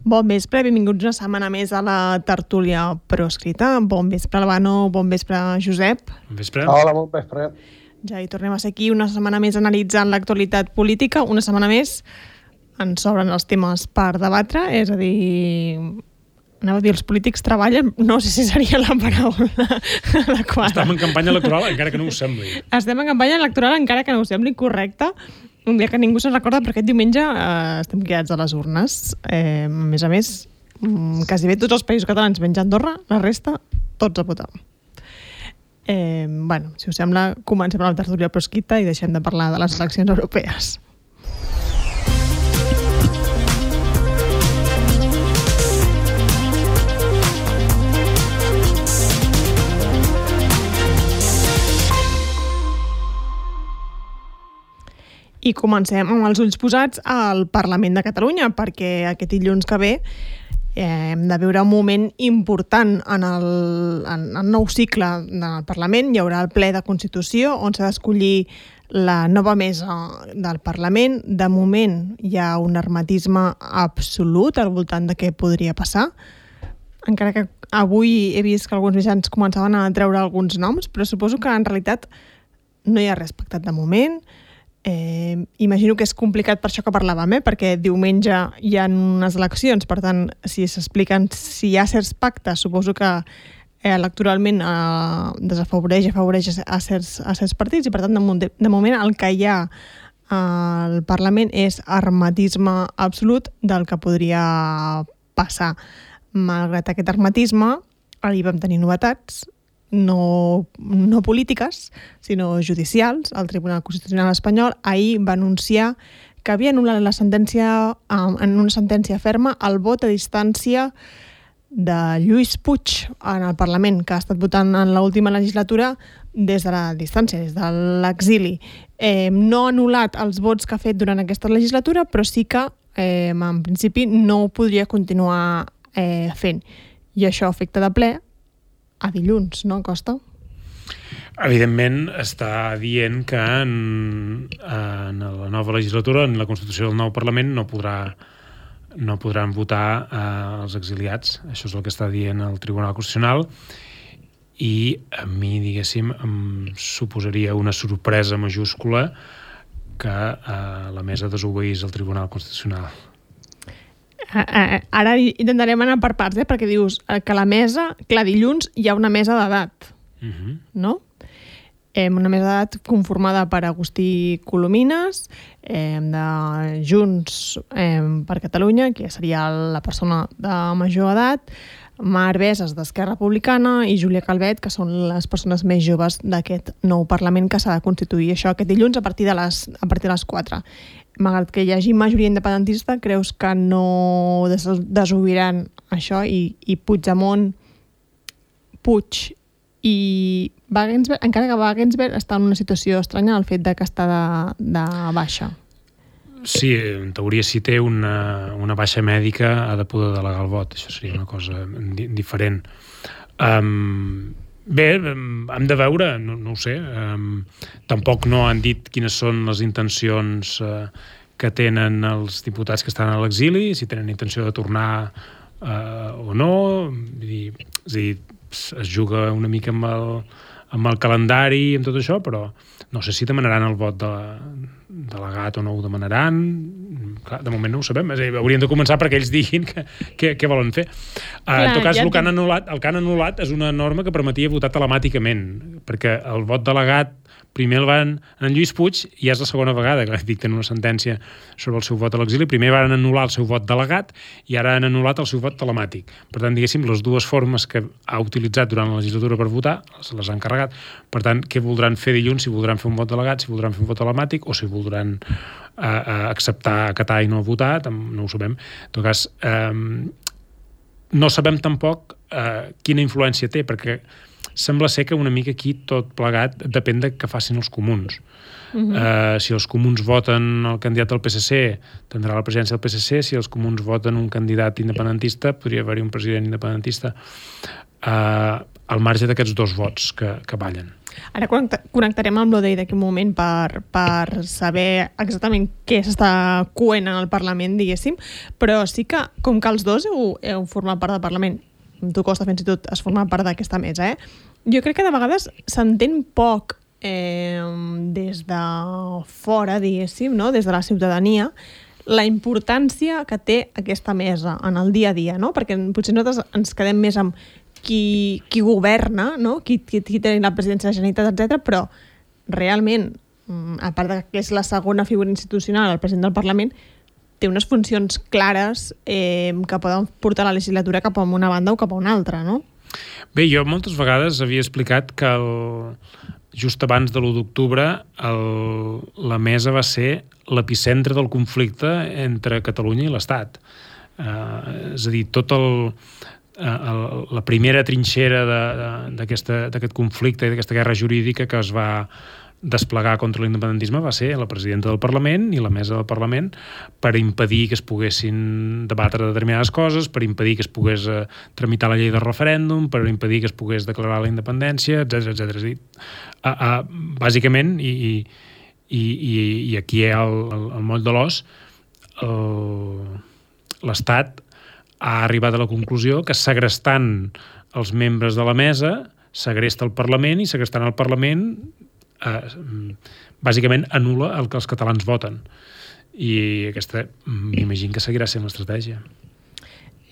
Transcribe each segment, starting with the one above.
Bon vespre, benvinguts una setmana més a la tertúlia proscrita. Bon vespre, Albano, bon vespre, Josep. Bon vespre. Hola, bon vespre. Ja hi tornem a ser aquí una setmana més analitzant l'actualitat política. Una setmana més ens sobren els temes per debatre, és a dir... Anava a dir, els polítics treballen, no sé si seria la paraula adequada. Estem en campanya electoral, encara que no ho sembli. Estem en campanya electoral, encara que no ho sembli correcte. Un dia que ningú se'n recorda, perquè aquest diumenge estem quedats a les urnes. A més, quasi bé tots els països catalans menys Andorra, la resta, tots a votar. Si us sembla, comencem amb la tertúlia proscrita i deixem de parlar de les eleccions europees. I comencem amb els ulls posats al Parlament de Catalunya, perquè aquest dilluns que ve hem de viure un moment important en el nou cicle del Parlament. Hi haurà el ple de Constitució, on s'ha d'escollir la nova mesa del Parlament. De moment hi ha un hermetisme absolut al voltant de què podria passar, encara que avui he vist que alguns mitjans començaven a treure alguns noms, però suposo que en realitat no hi ha res pactat de moment. Imagino que és complicat per això que parlàvem, perquè diumenge hi ha unes eleccions, per tant, si s'expliquen si hi ha certs pactes, suposo que electoralment desafavoreix, afavoreix a certs partits, i per tant, de moment el que hi ha al Parlament és hermetisme absolut del que podria passar. Malgrat aquest hermetisme, ahir vam tenir novetats, no polítiques, sinó judicials. El Tribunal Constitucional espanyol ahir va anunciar que havia anul·lat la sentència, en una sentència ferma, el vot a distància de Lluís Puig en el Parlament, que ha estat votant en l'última legislatura des de la distància, des de l'exili. No ha anul·lat els vots que ha fet durant aquesta legislatura, però sí que, en principi, no ho podria continuar fent. I això afecta de ple a dilluns, no, Costa? Evidentment, està dient que en la nova legislatura, en la Constitució del nou Parlament, no podran votar els exiliats. Això és el que està dient el Tribunal Constitucional, i a mi, diguéssim, em suposaria una sorpresa majúscula que la mesa desobeís el Tribunal Constitucional. Ara intentarem anar per parts, perquè dius que la mesa, clar, dilluns hi ha una mesa d'edat, no? Una mesa d'edat conformada per Agustí Colomines, de Junts per Catalunya, que seria la persona de major edat, Mar Veses, d'Esquerra Republicana, i Júlia Calvet, que són les persones més joves d'aquest nou Parlament que s'ha de constituir. Això aquest dilluns a partir de les 4. Malgrat que hi hagi majoria independentista, creus que no desobriran això, i Puigdemont, Puig i Wagensberg, encara que Wagensberg està en una situació estranya al fet de que està de baixa? Sí, en teoria, si té una baixa mèdica, ha de poder delegar el vot. Això seria una cosa diferent. Bé, hem de veure, no ho sé. Tampoc no han dit quines són les intencions que tenen els diputats que estan a l'exili, si tenen intenció de tornar o no. És a dir, es juga una mica amb el calendari i amb tot això, però no sé si demanaran el vot delegat o no ho demanaran. Clar, de moment no ho sabem. És a dir, hauríem de començar perquè ells diguin què volen fer. En tot cas, el que han anul·lat és una norma que permetia votar telemàticament, perquè el vot delegat primer el van en Lluís Puig, i és la segona vegada que dicten una sentència sobre el seu vot a l'exili. Primer van anul·lar el seu vot delegat i ara han anul·lat el seu vot telemàtic. Per tant, diguéssim, les dues formes que ha utilitzat durant la legislatura per votar se les han carregat. Per tant, què voldran fer dilluns? Si voldran fer un vot delegat, si voldran fer un vot telemàtic, o si voldran acceptar, acatar i no votar, no ho sabem. En tot cas, no sabem tampoc quina influència té, perquè sembla ser que una mica aquí tot plegat depèn de què facin els comuns. Si els comuns voten el candidat del PSC, tindrà la presidència del PSC. Si els comuns voten un candidat independentista, podria haver-hi un president independentista. al marge d'aquests 2 vots que ballen. Ara connectarem amb l'Odei d'aquí un moment per saber exactament què s'està coent en el Parlament, diguéssim, però sí que, com que els dos heu format part del Parlament, tu Costa fins i tot has format part d'aquesta mesa, jo crec que de vegades s'entén poc des de fora, diguéssim, no? Des de la ciutadania, la importància que té aquesta mesa en el dia a dia, no? Perquè potser nosaltres ens quedem més amb qui governa, no? Qui té la presidència de la Generalitat, etc. Però realment, a part de que és la segona figura institucional, el president del Parlament, té unes funcions clares que poden portar la legislatura cap a una banda o cap a una altra, no? Bé, jo moltes vegades havia explicat que just abans de l'1 d'octubre la mesa va ser l'epicentre del conflicte entre Catalunya i l'Estat. És a dir, la primera trinxera d'aquest conflicte i d'aquesta guerra jurídica que es va desplegar contra l'independentisme va ser la presidenta del Parlament i la mesa del Parlament per impedir que es poguessin debatre determinades coses, per impedir que es pogués tramitar la llei de referèndum, per impedir que es pogués declarar la independència, etc. És a dir, bàsicament, i aquí hi ha el moll de l'os, l'Estat ha arribat a la conclusió que segrestant els membres de la mesa segresta el Parlament i segrestant el Parlament bàsicament anul·la el que els catalans voten. I aquesta m'imagino que seguirà sent l'estratègia.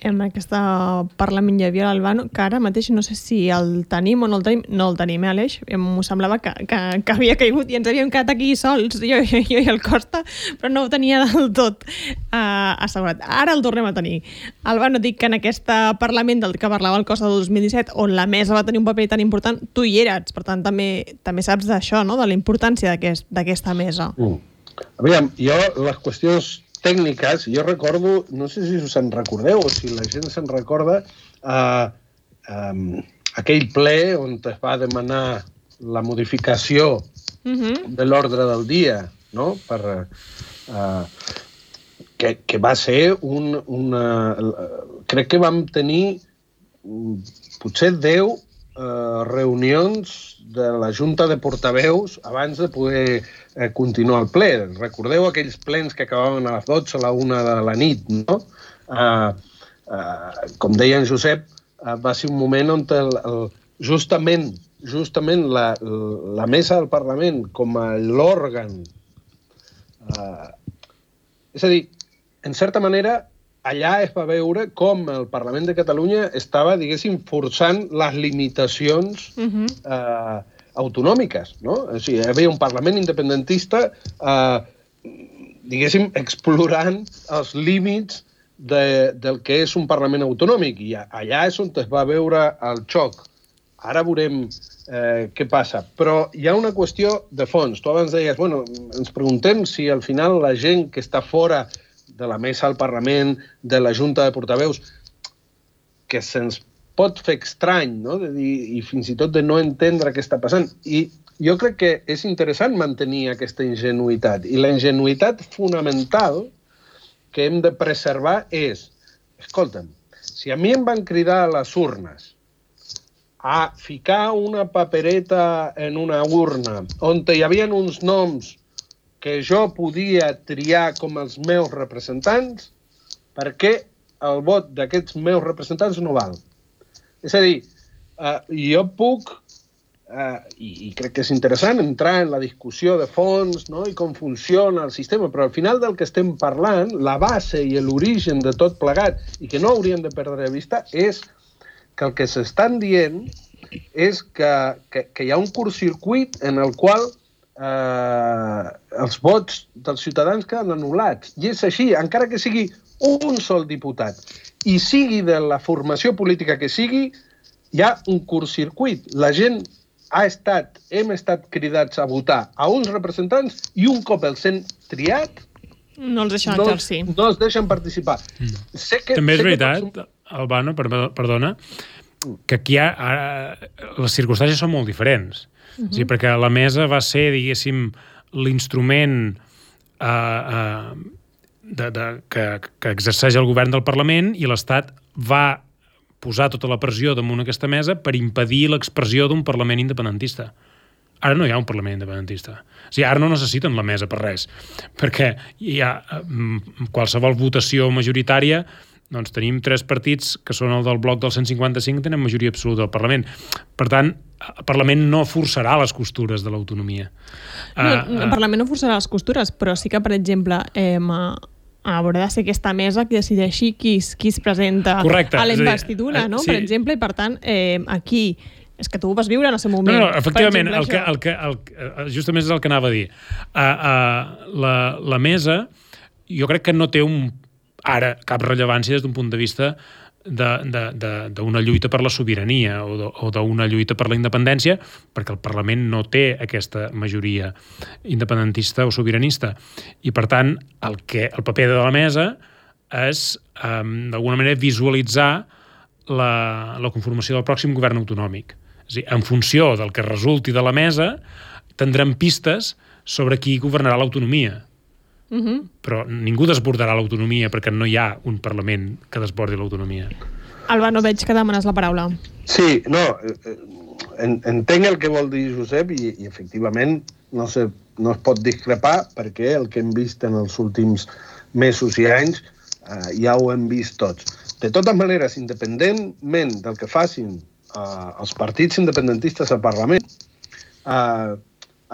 En aquest Parlament hi havia l'Albano, que ara mateix no sé si el tenim o no el tenim. No el tenim, Aleix? M'ho semblava que havia caigut i ens havíem quedat aquí sols, jo i el Costa, però no ho tenia del tot assegurat. Ara el tornem a tenir. Albano, dic que en aquest Parlament del que parlava el Costa del 2017, on la mesa va tenir un paper tan important, tu hi eres, per tant també saps d'això, no? De la importància d'aquesta mesa. Aviam, jo les qüestions tècniques, jo recordo, no sé si us en recordeu o si la gent se'n recorda, aquell ple on es va demanar la modificació de l'ordre del dia, no? Que va ser crec que vam tenir potser 10 reunions de la Junta de Portaveus abans de poder continuar el ple. Recordeu aquells plens que acabaven a les 12 a la 1 de la nit, no? Com deia en Josep, va ser un moment on justament la mesa del Parlament com a l'òrgan, és a dir, en certa manera, allà es va veure com el Parlament de Catalunya estava, diguéssim, forçant les limitacions autonòmiques, no? O sigui, hi havia un Parlament independentista, diguéssim, explorant els límits del que és un Parlament autonòmic, i allà és on es va veure el xoc. Ara veurem què passa. Però hi ha una qüestió de fons. Tu abans deies, bueno, ens preguntem si al final la gent que està fora de la mesa del Parlament, de la Junta de Portaveus, que se'ns pot fer estrany, no? De dir, i fins i tot de no entendre què està passant. I jo crec que és interessant mantenir aquesta ingenuïtat. I la ingenuïtat fonamental que hem de preservar és, escolta'm, si a mi em van cridar a les urnes a ficar una papereta en una urna on hi havia uns noms que jo podia triar com els meus representants, per què el vot d'aquests meus representants no val? És a dir, jo puc, i crec que és interessant, entrar en la discussió de fons, no? I com funciona el sistema, però al final del que estem parlant, la base i l'origen de tot plegat, i que no hauríem de perdre de vista, és que el que s'estan dient és que hi ha un curtcircuit en el qual els vots dels ciutadans queden anul·lats. I és així, encara que sigui un sol diputat i sigui de la formació política que sigui, hi ha un curtcircuit. La gent hem estat cridats a votar a uns representants i un cop els hem triat no els deixen exercir. No els deixen participar. També és veritat, Albano, perdona, que aquí les circumstàncies són molt diferents. Sí, perquè la mesa va ser, diguéssim, l'instrument que exerceix el govern del Parlament i l'Estat va posar tota la pressió damunt aquesta mesa per impedir l'expressió d'un Parlament independentista. Ara no hi ha un Parlament independentista. O sigui, ara no necessiten la mesa per res, perquè hi ha qualsevol votació majoritària, doncs tenim 3 partits que són el del bloc del 155 que tenen majoria absoluta al Parlament. Per tant, el Parlament no forçarà les costures de l'autonomia. El Parlament no forçarà les costures, però sí que, per exemple, haurà de ser aquesta mesa que decideixi qui es presenta a la investidura, no? Sí. Per exemple, i per tant, aquí... És que tu ho vas viure en el seu moment. No, efectivament, justament és el que anava a dir. La mesa, jo crec que no té ara cap rellevància des d'un punt de vista d'una lluita per la sobirania o d'una lluita per la independència, perquè el Parlament no té aquesta majoria independentista o sobiranista. I, per tant, el paper de la mesa és, d'alguna manera, visualitzar la conformació del pròxim govern autonòmic. És a dir, en funció del que resulti de la mesa, tindrem pistes sobre qui governarà l'autonomia. Però ningú desbordarà l'autonomia perquè no hi ha un Parlament que desbordi l'autonomia. Alba, no veig que demanes la paraula. Sí, no, entenc el que vol dir Josep i efectivament no es pot discrepar perquè el que hem vist en els últims mesos i anys ja ho hem vist tots. De totes maneres, independentment del que facin els partits independentistes al Parlament, a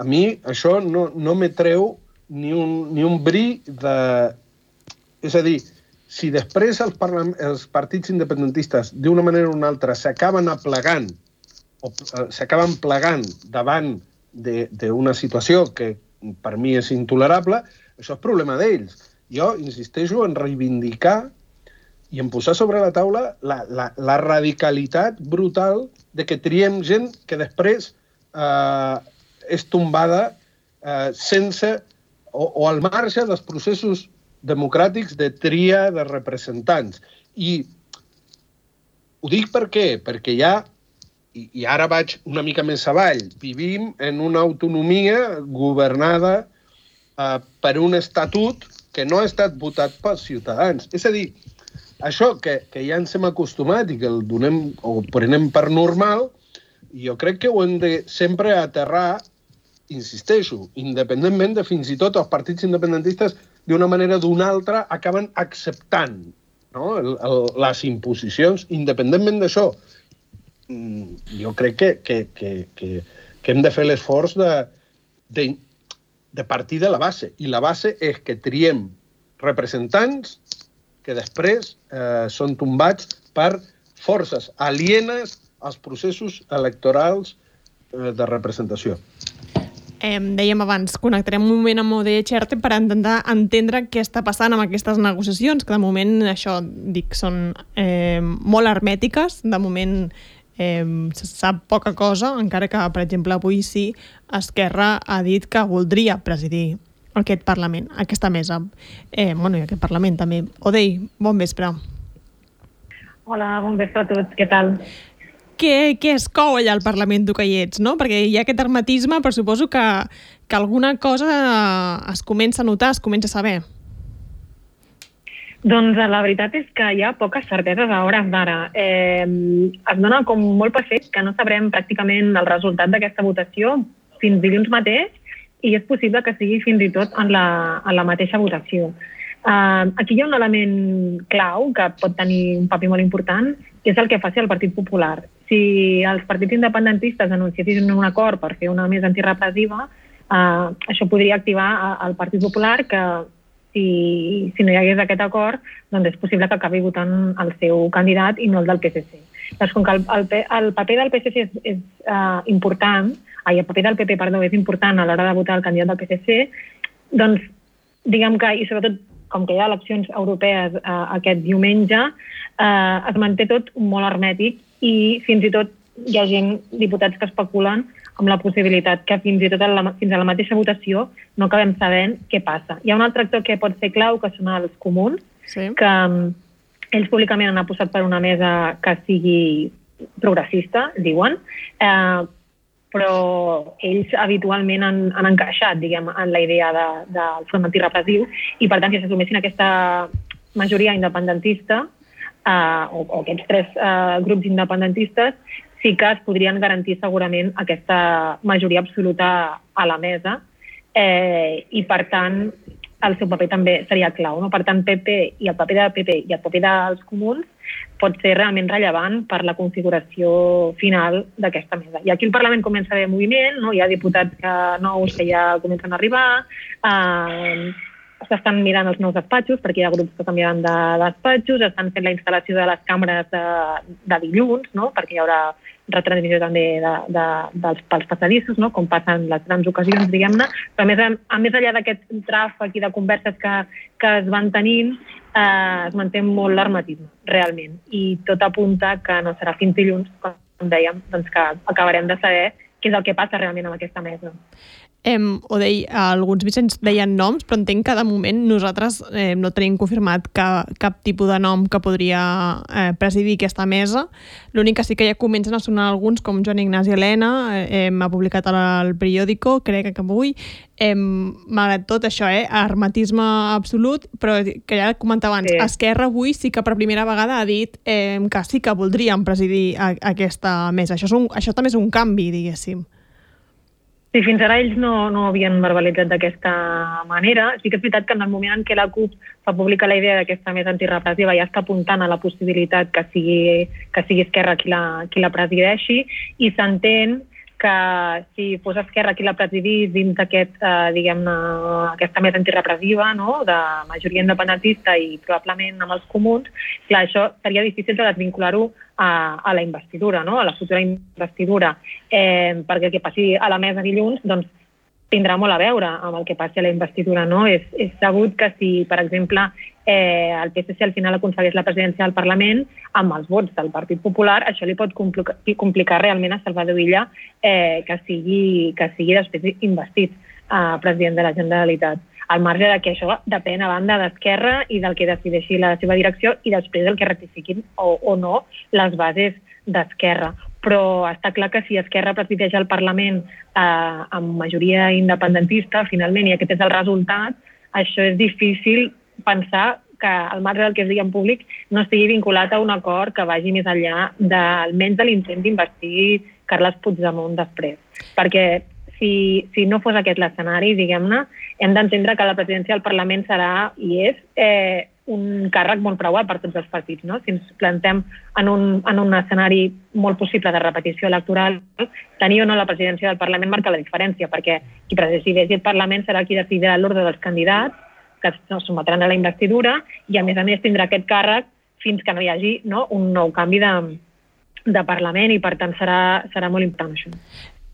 mi això no me treu ni un bri de... És a dir, si després els partits independentistes d'una manera o una altra s'acaben aplegant o s'acaben plegant davant d'una situació que per mi és intolerable, això és problema d'ells. Jo insisteixo en reivindicar i en posar sobre la taula la radicalitat brutal de que triem gent que després és tombada sense o al marge dels processos democràtics de tria de representants. I ho dic per què? Perquè ja, i ara vaig una mica més avall, vivim en una autonomia governada per un estatut que no ha estat votat pels ciutadans. És a dir, això que ja ens hem acostumat i que el donem o prenem per normal, jo crec que ho hem de sempre aterrar, insisteixo, independentment de fins i tot els partits independentistes d'una manera o d'una altra acaben acceptant, no? Les imposicions, independentment d'això. Jo crec que hem de fer l'esforç de partir de la base. I la base és que triem representants que després són tombats per forces alienes als processos electorals de representació. Dèiem abans, connectarem un moment amb ODE Xerte per intentar entendre què està passant amb aquestes negociacions, que de moment, això dic, són molt hermètiques, de moment se sap poca cosa, encara que, per exemple, avui sí, Esquerra ha dit que voldria presidir aquest Parlament, aquesta mesa. I aquest Parlament també. Odei, bon vespre. Hola, bon vespre a tots, què tal? Què es cou allà al Parlament, tu que hi ets, no? Perquè hi ha aquest hermetisme, però suposo que alguna cosa es comença a notar, es comença a saber. Doncs la veritat és que hi ha poques certeses a hores d'ara. Es dona com molt per fet que no sabrem pràcticament el resultat d'aquesta votació fins dilluns mateix i és possible que sigui fins i tot en la mateixa votació. Aquí hi ha un element clau que pot tenir un paper molt important, que és el que faci el Partit Popular. Si els partits independentistes anunciessin un acord per fer una mesa antirepressiva, això podria activar el Partit Popular, que si no hi hagués aquest acord, doncs és possible que acabi votant el seu candidat i no el del PSC. Doncs com que el paper del PSC és important, el paper del PP, perdó, és important a l'hora de votar el candidat del PSC, doncs diguem que, i sobretot com que hi ha eleccions europees aquest diumenge, es manté tot molt hermètic i fins i tot hi ha diputats que especulen amb la possibilitat que fins i tot fins a la mateixa votació no acabem sabent què passa. Hi ha un altre actor que pot ser clau, que són els comuns, sí, que ells públicament han apostat per una mesa que sigui progressista, diuen, però ells habitualment han encaixat, diguem, en la idea del front antirepressiu i, per tant, si s'assumessin aquesta majoria independentista, o aquests 3 grups independentistes, sí que es podrien garantir segurament aquesta majoria absoluta a la mesa i, per tant, el seu paper també seria clau. No? Per tant, PP i el paper del PP i el paper dels comuns pot ser realment rellevant per la configuració final d'aquesta mesa. I aquí el Parlament comença a haver moviment, no? Hi ha diputats nous que ja comencen a arribar, s'estan mirant els nous despatxos, perquè hi ha grups que canviaran de despatxos, estan fent la instal·lació de les càmeres de dilluns, no? Perquè hi haurà retransmissió també pels passadissos, no? Com passen les grans ocasions, diguem-ne. Però més enllà d'aquest tràfic i de converses que es van tenint, es manté molt l'hermetisme, realment. I tot apunta que no serà fins dilluns, com dèiem, doncs que acabarem de saber què és el que passa realment amb aquesta mesa. Odei, alguns mitjans deien noms, però entenc que de moment nosaltres no tenim confirmat cap tipus de nom que podria presidir aquesta mesa. L'únic que sí que ja comencen a sonar alguns, com Joan Ignasi Elena, ha publicat al periòdico, crec que avui. Malgrat tot això, hermetisme absolut, però que ja comentava abans, Esquerra avui sí que per primera vegada ha dit que sí que voldrien presidir aquesta mesa. Això també és un canvi, diguéssim. Sí, fins ara ells no havien verbalitzat d'aquesta manera. Sí que és veritat que en el moment en què la CUP fa pública la idea d'aquesta mesa antirepressiva ja està apuntant a la possibilitat que sigui Esquerra qui la presideixi, i s'entén que si fos Esquerra qui la presidís dins aquesta mesa antirepressiva, no? De majoria independentista i probablement amb els comuns, clar, això seria difícil de desvincular-ho a la investidura, no? A la futura investidura, perquè el que passi a la mesa dilluns doncs, tindrà molt a veure amb el que passi a la investidura. No? És sabut que si, per exemple, el PSC al final aconsegueix la presidència del Parlament amb els vots del Partit Popular, això li pot complicar realment a Salvador Illa que sigui després investit president de la Generalitat. Al marge de que això depèn a banda d'Esquerra i del que decideixi la seva direcció i després del que rectifiquin o no les bases d'Esquerra. Però està clar que si Esquerra presideix el Parlament amb majoria independentista, finalment, i aquest és el resultat, això és difícil pensar que al marge del que es digui en públic no estigui vinculat a un acord que vagi més enllà almenys de l'intent d'investir Carles Puigdemont després. Perquè si no fos aquest l'escenari, diguem-ne, hem d'entendre que la presidència del Parlament serà i és un càrrec molt preuat per tots els partits. No? Si ens plantem en un escenari molt possible de repetició electoral, tenir o no la presidència del Parlament marca la diferència, perquè qui presideixi el Parlament serà qui decidirà l'ordre dels candidats que es sotmetran a la investidura i, a més tindrà aquest càrrec fins que no hi hagi un nou canvi de Parlament i, per tant, serà molt important això.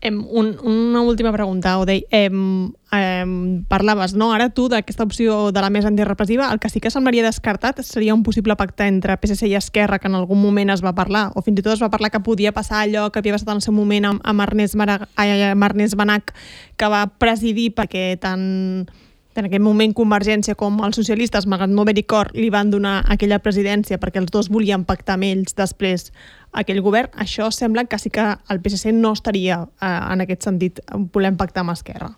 Una última pregunta, Odei. Parlaves, no, ara tu, d'aquesta opció de la mesa antirepressiva. El que sí que semblaria descartat seria un possible pacte entre PSC i Esquerra, que en algun moment es va parlar, o fins i tot es va parlar que podia passar allò que havia passat en el seu moment amb Ernest Benach, que va presidir perquè tant en aquell moment Convergència com els socialistes, malgrat no haver-hi acord, li van donar aquella presidència perquè els dos volien pactar amb ells després aquell govern. Això sembla que sí que el PSC no estaria en aquest sentit volent pactar amb Esquerra.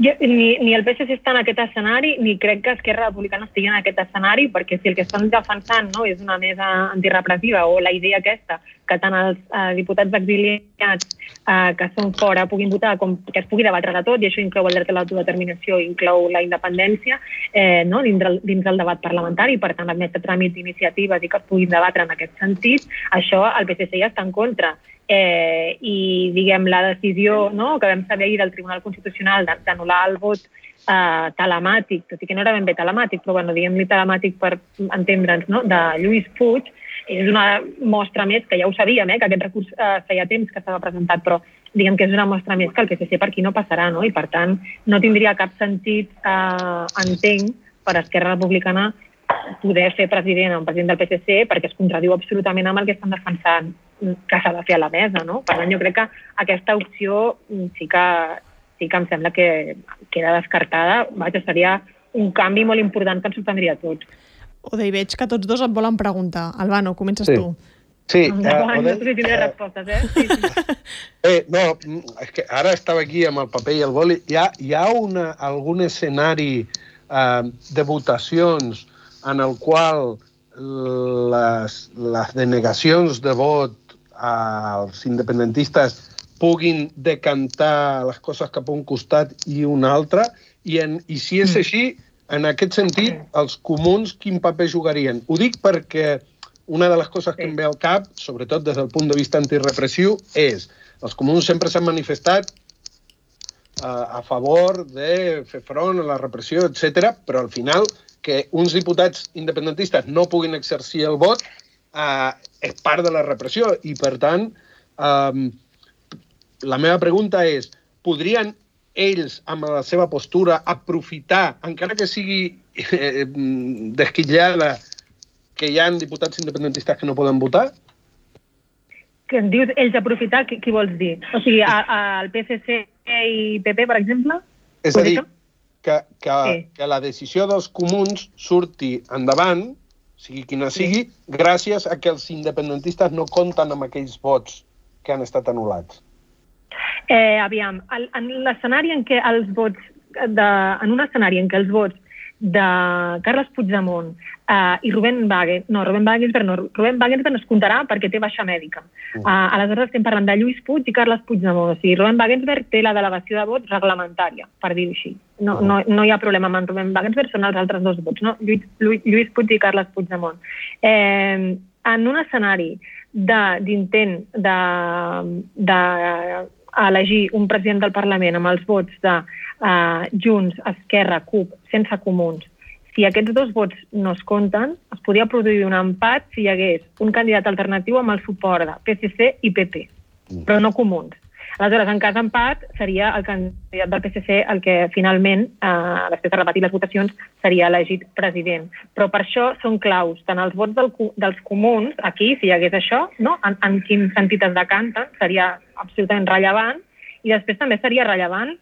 Ni el PSC està en aquest escenari, ni crec que Esquerra Republicana estigui en aquest escenari, perquè si el que estan defensant és una mesa antirepressiva o la idea aquesta, que tant els diputats exiliats que són fora puguin votar com que es pugui debatre de tot, i això inclou el dret a l'autodeterminació, inclou la independència dins del debat parlamentari, per tant admetre tràmits d'iniciatives i que es puguin debatre en aquest sentit, això el PSC ja està en contra. I, diguem, la decisió que vam saber ahir del Tribunal Constitucional d'anul·lar el vot telemàtic, tot i que no era ben bé telemàtic, però diguem-li telemàtic per entendre'ns, de Lluís Puig, és una mostra més, que ja ho sabíem, que aquest recurs feia temps que estava presentat, però diguem que és una mostra més que el PSC per aquí no passarà, i per tant no tindria cap sentit, entenc, per Esquerra Republicana poder fer president un president del PSC perquè es contradiu absolutament amb el que estan defensant que s'ha de fer a la mesa. Per tant, jo crec que aquesta opció sí que em sembla que queda descartada. Seria un canvi molt important que ens sorprendria a tots. Odei, veig que tots dos et volen preguntar. Albano, comences tu. Sí. No sé si tindré respostes, Sí. No, és que ara estava aquí amb el paper i el boli. Hi ha algun escenari de votacions en el qual les denegacions de vot als independentistes puguin decantar les coses cap a un costat i un altre, i si és així, en aquest sentit, els comuns quin paper jugarien? Ho dic perquè una de les coses que em ve al cap, sobretot des del punt de vista antirepressiu, és els comuns sempre s'han manifestat a favor de fer front a la repressió, etc., però al final que uns diputats independentistes no puguin exercir el vot és part de la repressió i, per tant, la meva pregunta és, podrien ells, amb la seva postura, aprofitar, encara que sigui desquitllada, que hi ha diputats independentistes que no poden votar? Que em dius ells aprofitar, què vols dir? O sigui, el PSC i PP, per exemple? És a dir, que la decisió dels comuns surti endavant, sigui quina sigui, gràcies a que els independentistes no compten amb aquells vots que han estat anul·lats. Aviam, en l'escenari en què els vots de Carles Puigdemont i Rubén Wagensberg es comptarà perquè té baixa mèdica. Aleshores estem parlant de Lluís Puig i Carles Puigdemont. O sigui, Rubén Wagensberg té la delegació de vots reglamentària, per dir-ho així. No hi ha problema amb en Rubén Wagensberg, són els altres dos vots, no? Lluís Puig i Carles Puigdemont. En un escenari d'intent d'elegir un president del Parlament amb els vots de Junts, Esquerra, CUP, sense comuns, si aquests dos vots no es compten, es podria produir un empat si hi hagués un candidat alternatiu amb el suport de PSC i PP, però no comuns. Aleshores, en cas d'empat, seria el candidat del PSC el que finalment, després de repetir les votacions, seria elegit president. Però per això són claus tant els vots dels comuns, aquí, si hi hagués això, no? En quin sentit es decanten, seria absolutament rellevant, i després també seria rellevant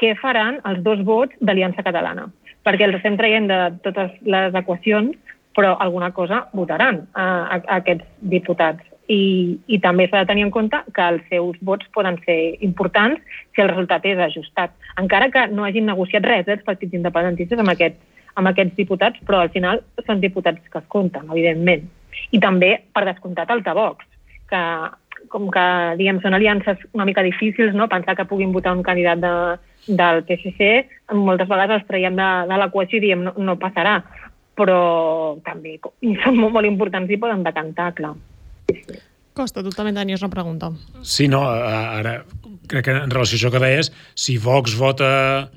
què faran els dos vots d'Aliança Catalana, perquè els estem traient de totes les equacions, però alguna cosa votaran aquests diputats. I també s'ha de tenir en compte que els seus vots poden ser importants si el resultat és ajustat. Encara que no hagin negociat res els partits independentistes amb aquests diputats, però al final són diputats que es compten, evidentment. I també, per descomptat, el de Vox, que com que diguem, són aliances una mica difícils, no? Pensar que puguin votar un candidat del PSC, moltes vegades els traiem de l'equació i diem no passarà, però també són molt importants i poden decantar, clar. Costa, tu també tenies una pregunta. Sí, no, ara crec que en relació a això que deies, si Vox vota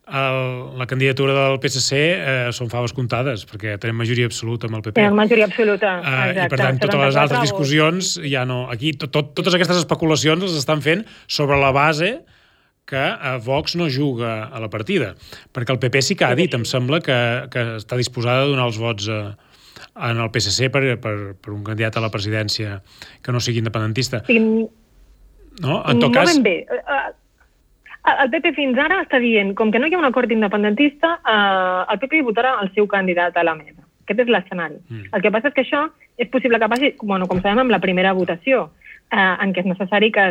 la candidatura del PSC són faves comptades, perquè tenim majoria absoluta amb el PP. Tenim majoria absoluta, exacte. I per tant, totes les altres discussions ja no... Aquí totes aquestes especulacions les estan fent sobre la base que Vox no juga a la partida, perquè el PP sí que ha dit, em sembla, que està disposada a donar els vots en el PSC per un candidat a la presidència que no sigui independentista. No? En tot cas... No ben bé. El PP fins ara està dient, com que no hi ha un acord independentista, el PP votarà el seu candidat a la mesa. Aquest és l'escenari. El que passa és que això és possible que passi, com sabem, amb la primera votació, en què és necessari que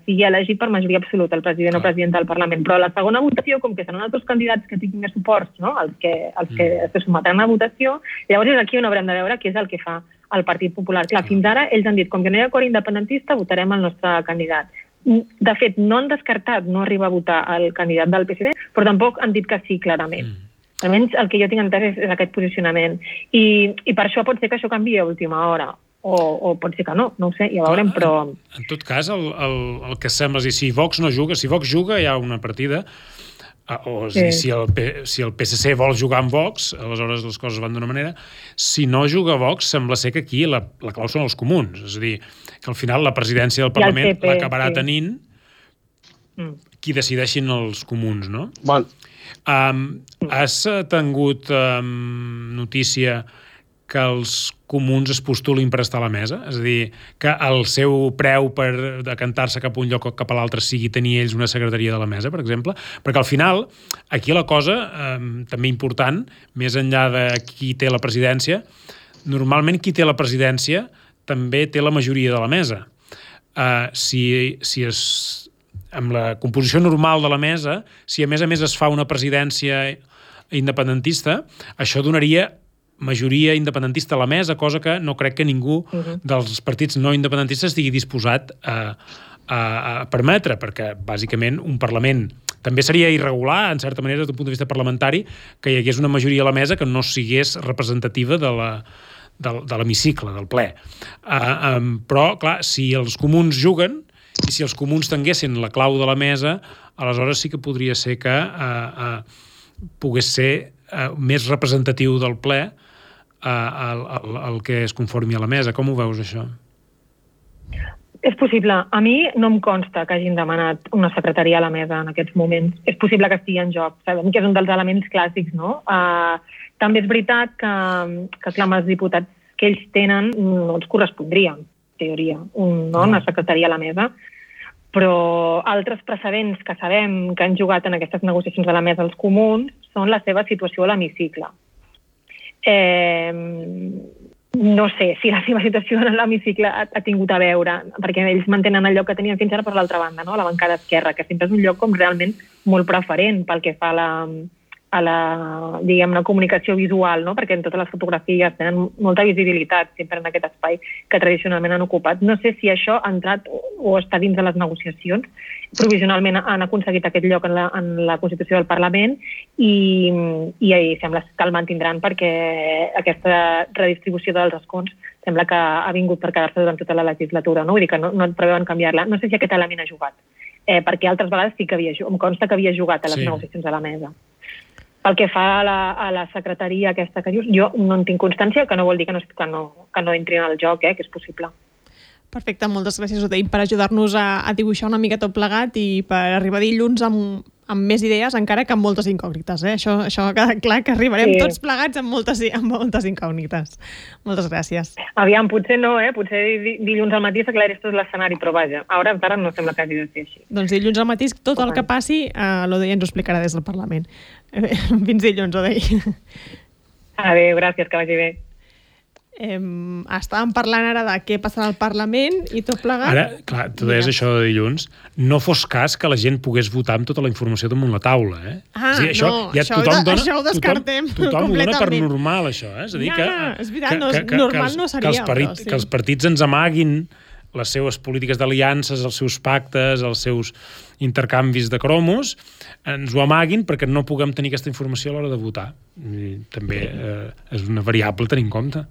sigui elegit per majoria absoluta el president o presidenta del Parlament. Però la segona votació, com que seran altres candidats que tinguin més suports, no? els que se sometran a votació, llavors és aquí on haurem de veure què és el que fa el Partit Popular. Clar, fins ara ells han dit, com que no hi ha acord independentista, votarem el nostre candidat. De fet, no han descartat no arribar a votar el candidat del PSC, però tampoc han dit que sí, clarament. Almenys el que jo tinc entès és aquest posicionament. I per això pot ser que això canviï a última hora. O pot ser que no ho sé, ja veurem, però... En tot cas, el que sembla és dir, si Vox no juga, si Vox juga hi ha una partida, o és a dir, si el PSC vol jugar amb Vox, aleshores les coses van d'una manera. Si no juga Vox, sembla ser que aquí la clau són els comuns. És a dir, que al final la presidència del Parlament l'acabarà tenint qui decideixin els comuns, no? Bon. Has tingut notícia que els comuns es postulin per estar a la mesa? És a dir, que el seu preu per decantar-se cap a un lloc o cap a l'altre sigui tenir ells una secretaria de la mesa, per exemple? Perquè al final, aquí la cosa, també important, més enllà de qui té la presidència, normalment qui té la presidència també té la majoria de la mesa. Si és amb la composició normal de la mesa, si a més es fa una presidència independentista, això donaria majoria independentista a la mesa, cosa que no crec que ningú dels partits no independentistes estigui disposat a permetre, perquè bàsicament un Parlament també seria irregular, en certa manera, des d'un punt de vista parlamentari, que hi hagués una majoria a la mesa que no sigués representativa de l'hemicicle, del ple. Però, clar, si els comuns juguen i si els comuns tinguessin la clau de la mesa, aleshores sí que podria ser que pogués ser més representatiu del ple el que es conformi a la mesa. Com ho veus, això? És possible. A mi no em consta que hagin demanat una secretaria a la mesa en aquests moments. És possible que estigui en joc. Sabem que és un dels elements clàssics, no? També és veritat que clar, els diputats que ells tenen no els correspondria, en teoria, una secretaria a la mesa. Però altres precedents que sabem que han jugat en aquestes negociacions a la mesa els comuns són la seva situació a l'hemicicle. No sé si la seva situació en l'hemicicle ha tingut a veure, perquè ells mantenen el lloc que tenien fins ara per l'altra banda, no? A la bancada esquerra, que sempre és un lloc com realment molt preferent pel que fa a la diguem-ne, comunicació visual, no? Perquè en totes les fotografies tenen molta visibilitat sempre en aquest espai que tradicionalment han ocupat. No sé si això ha entrat o està dins de les negociacions. Provisionalment han aconseguit aquest lloc en la Constitució del Parlament i sembla que el mantindran perquè aquesta redistribució dels escons sembla que ha vingut per quedar-se durant tota la legislatura, no? Vull dir que no preveuen canviar-la. No sé si aquest element ha jugat, perquè altres vegades sí que em consta que havia jugat a les negociacions a la mesa. Pel que fa a la secretaria aquesta que dius, jo no en tinc constància, que no vol dir que no entri en el joc, que és possible. Perfecte, moltes gràcies, Odeï, per ajudar-nos a dibuixar una mica tot plegat i per arribar dilluns amb més idees, encara que amb moltes incògnites. Això ha quedat clar, que arribarem tots plegats amb moltes incògnites. Moltes gràcies. Aviam, potser no, potser dilluns al matí s'aclareix tot l'escenari, però vaja, ara encara no sembla que hagi de ser així. Doncs dilluns al matí tot el que passi l'Odeï ens ho explicarà des del Parlament. Fins dilluns, Odeï. Adéu, gràcies, que vagi bé. Estàvem parlant ara de què passarà al Parlament i tot plegat. Ara, clar, tu deies això de dilluns, no fos cas que la gent pogués votar amb tota la informació damunt la taula, això ho descartem tothom ho dona per normal, això, És a dir, és veritat, normal no seria. Que els partits ens amaguin les seves polítiques d'aliances, els seus pactes, els seus intercanvis de cromos, ens ho amaguin perquè no puguem tenir aquesta informació a l'hora de votar. I també és una variable a tenir en compte.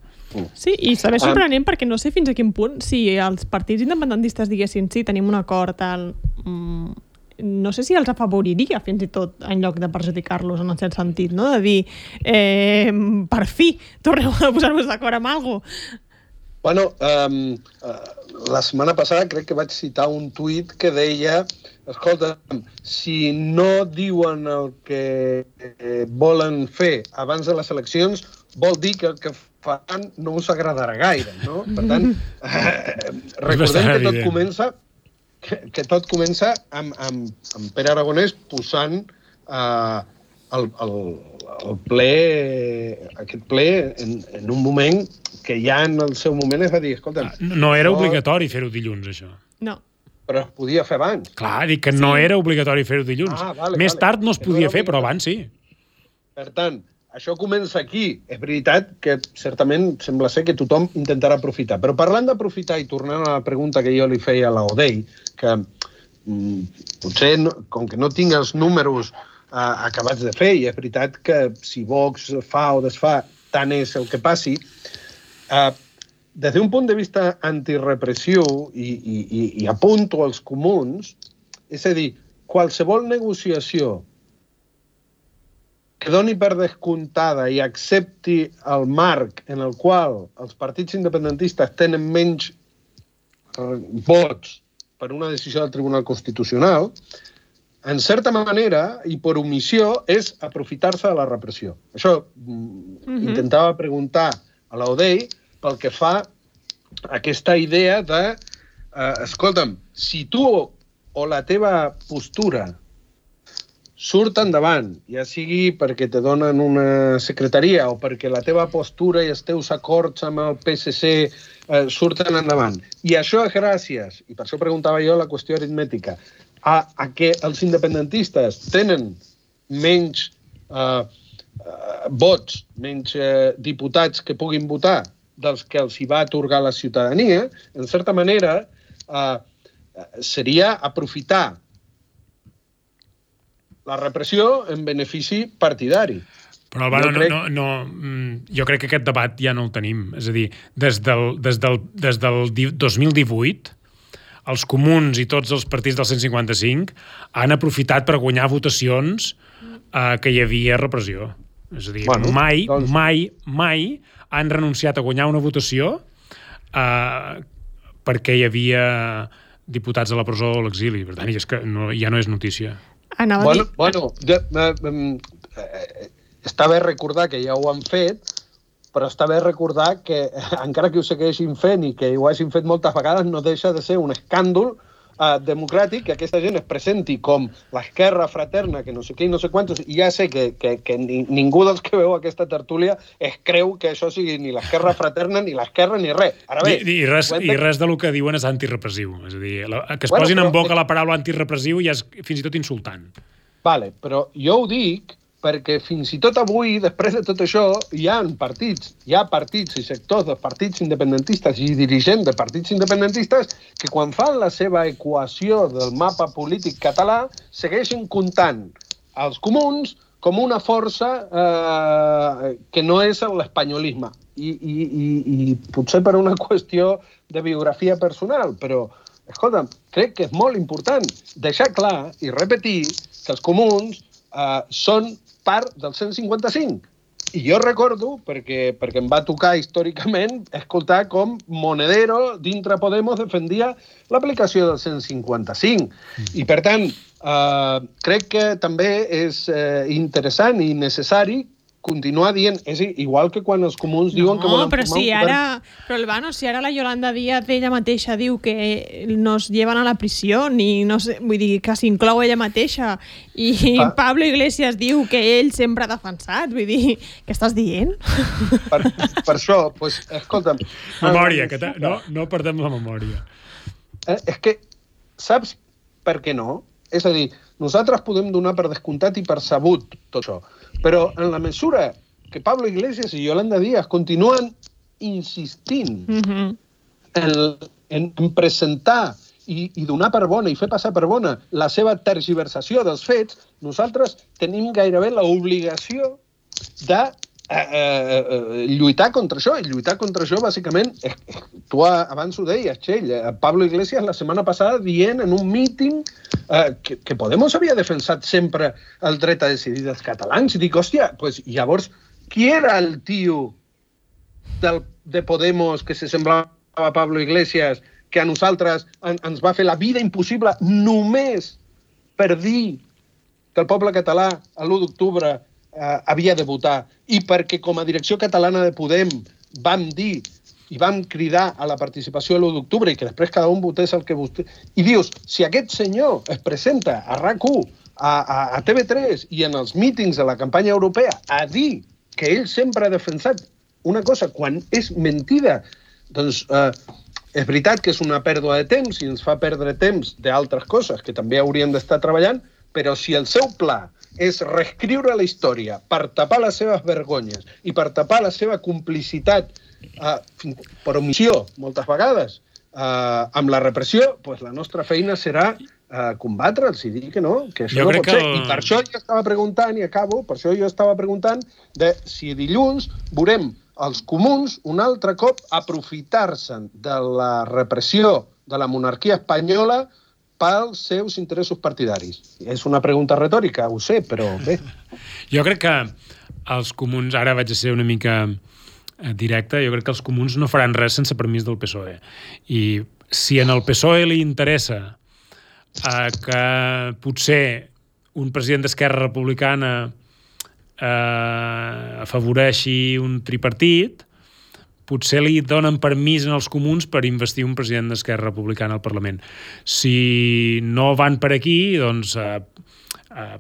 Sí, i també és sorprenent perquè no sé fins a quin punt, si els partits independentistes diguessin sí, tenim un acord, no sé si els afavoriria fins i tot en lloc de perjudicar-los en un cert sentit, no? De dir, per fi, torneu a posar-vos d'acord amb alguna cosa. Bueno, la setmana passada crec que vaig citar un tuit que deia, escolta, si no diuen el que volen fer abans de les eleccions, vol dir que el que fan no us agradarà gaire, no? Per tant, recordem que tot comença amb Pere Aragonès posant aquest ple en un moment que ja en el seu moment es va dir, escolta... No era obligatori fer-ho dilluns, això. No. Però es podia fer abans. Clar, dic que no era obligatori fer-ho dilluns. Més tard no es podia fer, però abans sí. Per tant, això comença aquí. És veritat que certament sembla ser que tothom intentarà aprofitar. Però parlant d'aprofitar i tornant a la pregunta que jo li feia a l'Odeï, que potser, com que no tinc els números acabats de fer, i és veritat que si Vox fa o desfà, tant és el que passi, des d'un punt de vista antirepressiu i apunto als comuns, és a dir, qualsevol negociació que doni per descomptada i accepti el marc en el qual els partits independentistes tenen menys vots per una decisió del Tribunal Constitucional, en certa manera, i per omissió, és aprofitar-se de la repressió. Això intentava preguntar a l'Odeï pel que fa a aquesta idea de escolta'm, si tu o la teva postura surt endavant, ja sigui perquè te donen una secretaria o perquè la teva postura i els teus acords amb el PSC surten endavant. I això és gràcies, i per això preguntava jo la qüestió aritmètica, a que els independentistes tenen menys vots, menys diputats que puguin votar dels que els hi va atorgar la ciutadania, en certa manera seria aprofitar la repressió en benefici partidari. Però, Albano, jo crec que aquest debat ja no el tenim. És a dir, des del 2018, els comuns i tots els partits del 155 han aprofitat per guanyar votacions que hi havia repressió. És a dir, mai han renunciat a guanyar una votació perquè hi havia diputats a la presó o a l'exili. Per tant, és que ja no és notícia. Està bé recordar que ja ho han fet, però està bé recordar que, encara que ho segueixin fent i que ho hagin fet moltes vegades, no deixa de ser un escàndol democràtic que aquesta gent es presenti com l'esquerra fraterna, que no sé què i no sé quantos, i ja sé que ningú dels que veu aquesta tertúlia es creu que això sigui ni l'esquerra fraterna, ni l'esquerra, ni res. Ara bé, I res del que diuen és antirepressiu. És a dir, que es posin en boca la paraula antirepressiu ja és fins i tot insultant. Vale, però jo ho dic perquè fins i tot avui, després de tot això, hi ha partits i sectors de partits independentistes i dirigents de partits independentistes que quan fan la seva equació del mapa polític català segueixen comptant els comuns com una força que no és l'espanyolisme. I potser per una qüestió de biografia personal, però, escolta, crec que és molt important deixar clar i repetir que els comuns són part del 155. I jo recordo, perquè em va tocar històricament, escoltar com Monedero, dintre Podemos, defendia l'aplicació del 155. I, per tant, crec que també és interessant i necessari continuar dient, és igual que quan els comuns diuen que volen formar un govern... Però, Albano, si ara la Yolanda Díaz ella mateixa diu que nos llevan a la prisió, ni no sé, vull dir, que s'inclou ella mateixa, i Pablo Iglesias diu que ell sempre ha defensat, vull dir, què estàs dient? Per això, doncs, escolta'm... Memòria, que no perdem la memòria. És que, saps per què no? És a dir, nosaltres podem donar per descomptat i per sabut tot això, però en la mesura que Pablo Iglesias i Yolanda Díaz continuen insistint en presentar i donar per bona i fer passar per bona la seva tergiversació dels fets, nosaltres tenim gairebé l'obligació de lluitar contra això. I lluitar contra això, bàsicament, tu abans ho deies, Txell, Pablo Iglesias la setmana passada dient en un míting que Podemos havia defensat sempre el dret a decidir dels catalans. I dic, hòstia, pues, llavors, qui era el tio de Podemos que se semblava a Pablo Iglesias que a nosaltres ens va fer la vida impossible només per dir que el poble català a l'1 d'octubre havia de votar, i perquè com a direcció catalana de Podem vam dir i vam cridar a la participació a l'1 d'octubre i que després cada un votés el que votés. I dius, si aquest senyor es presenta a RAC1, a TV3 i en els mítings de la campanya europea a dir que ell sempre ha defensat una cosa quan és mentida, doncs és veritat que és una pèrdua de temps i ens fa perdre temps d'altres coses que també hauríem d'estar treballant, però si el seu pla és reescriure la història per tapar les seves vergonyes i per tapar la seva complicitat per omissió, moltes vegades, amb la repressió, doncs la nostra feina serà combatre'ls i dir que no, que això no pot ser. I per això jo estava preguntant, i acabo, per això jo estava preguntant de si dilluns veurem els comuns un altre cop aprofitar-se de la repressió de la monarquia espanyola pels seus interessos partidaris. És una pregunta retòrica, ho sé, però bé. Jo crec que els comuns, ara vaig a ser una mica directe, jo crec que els comuns no faran res sense permís del PSOE. I si en el PSOE li interessa que potser un president d'Esquerra Republicana afavoreixi un tripartit, potser li donen permís als comuns per investir un president d'Esquerra Republicana al Parlament. Si no van per aquí, doncs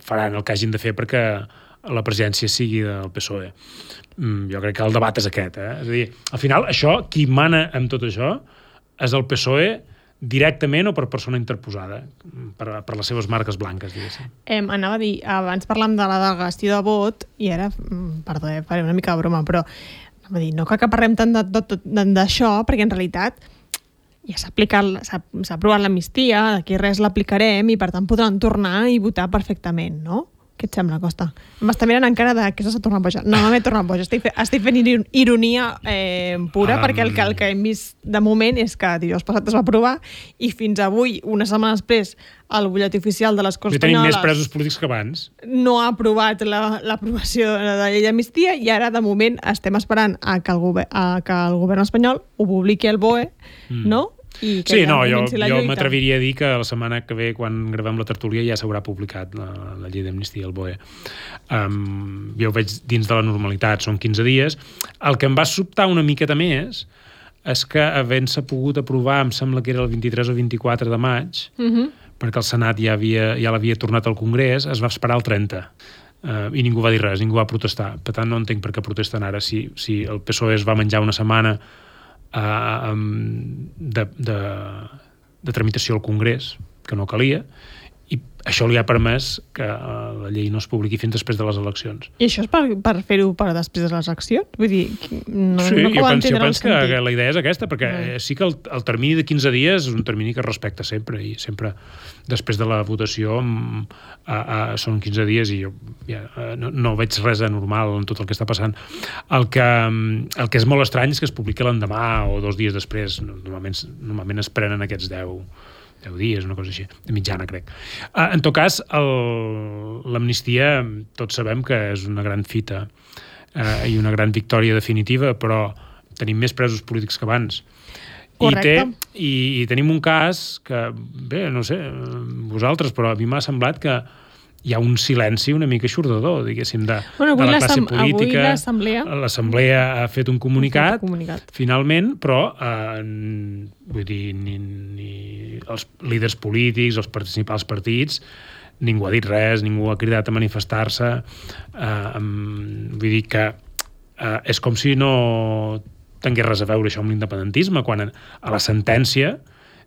faran el que hagin de fer perquè la presidència sigui del PSOE. Jo crec que el debat és aquest. És a dir, al final, això, qui mana amb tot això és el PSOE directament o per persona interposada, per les seves marques blanques, diguéssim. Anava a dir, abans parlàvem de la delegació de vot, i ara, perdó, faré una mica de broma, però anava a dir, no cal que parlem tant d'això, perquè en realitat ja s'ha aprovat l'amnistia, d'aquí res l'aplicarem i per tant podran tornar i votar perfectament, no? Què et sembla, Costa? M'està mirant encara de què s'ha tornat boja. No m'he tornat boja, estic fent ironia pura, perquè el que hem vist de moment és que dijous passat es va aprovar i fins avui, una setmana després, el butlletí oficial de les Corts Espanyoles... Tenim més presos polítics que abans. No ha aprovat l'aprovació de la llei d'amnistia i ara, de moment, estem esperant que el govern espanyol ho publiqui al BOE, no? Sí, no, jo m'atreviria a dir que la setmana que ve, quan gravem la tertúlia, ja s'haurà publicat la llei d'amnistia al BOE. Jo ho veig dins de la normalitat, són 15 dies. El que em va sobtar una miqueta més és que havent-se pogut aprovar, em sembla que era el 23 o 24 de maig, perquè el Senat ja l'havia tornat al Congrés, es va esperar el 30. I ningú va dir res, ningú va protestar. Per tant, no entenc per què protesten ara. Si el PSOE es va menjar una setmana de tramitació al Congrés, que no calia, i això li ha permès que la llei no es publiqui fins després de les eleccions. I això és per fer-ho per després de les eleccions? Vull dir, jo penso que la idea és aquesta, perquè sí que el termini de 15 dies és un termini que es respecta sempre, i sempre després de la votació són 15 dies i jo no veig res anormal en tot el que està passant. El que és molt estrany és que es publiqui l'endemà o 2 dies després. Normalment es prenen aquests 10 dies, una cosa així, de mitjana, crec. En tot cas, l'amnistia, tots sabem que és una gran fita i una gran victòria definitiva, però tenim més presos polítics que abans. Correcte. I tenim un cas que, bé, no sé, vosaltres, però a mi m'ha semblat que hi ha un silenci una mica eixordador, diguéssim, de la classe política. L'Assemblea ha fet un comunicat, finalment, però vull dir, ni els líders polítics, els principals partits, ningú ha dit res, ningú ha cridat a manifestar-se. Vull dir que és com si no tingués res a veure això amb l'independentisme, quan a la sentència,